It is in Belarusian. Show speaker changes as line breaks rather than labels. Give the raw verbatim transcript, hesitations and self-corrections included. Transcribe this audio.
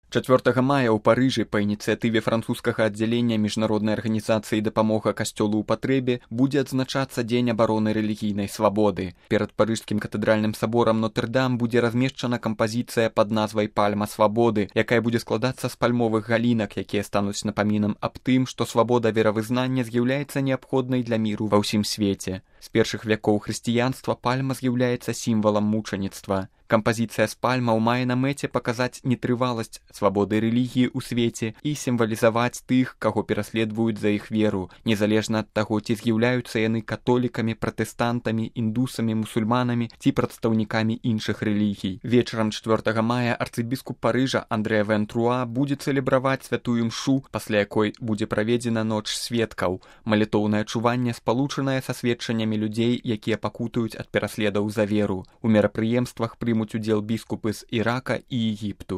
чацвёртага мая ў Парыжы па ініцыятыве французскага аддзялення міжнароднай арганізацыі дапамога касцёлу ў патрэбе будзе адзначацца дзень абароны рэлігійнай свабоды. Перад парыжскім катэдральным саборам Нотр-Дам будзе размешчана кампазіцыя пад назвай «Пальма свабоды», якая будзе складацца з пальмовых галінак, якія стануць напамінам аб тым, што свабода веравызнання з'яўляецца неабходнай для міру ва ўсім свеце. З першых вякоў хрысціянства пальма з'яўляецца сімвалам мучаніцтва. Кампазіцыя з пальмаў мае на мэце паказаць нетрываласць свабоды рэлігіі ў свеце і сімвалізаваць тых, каго пераследуюць за іх веру, незалежна ад таго, ці з'яўляюцца яны католікамі, пратэстантамі, індусамі, мусульманамі ці прадстаўнікамі іншых рэлігій. Вечарам чацвёртага мая арцыбіскуп Парыжа Андре Вен-Труа будзе цэлебраваць святую мшу, пасля якой будзе праведзена ноч сведкаў, малітоўнае чуванне, спалучанае са сведчаннямі людзей, якія пакутуюць ад пераследаў за веру. У мерапрыемствах прымуць удзел біскупы з Ірака і Егіпту.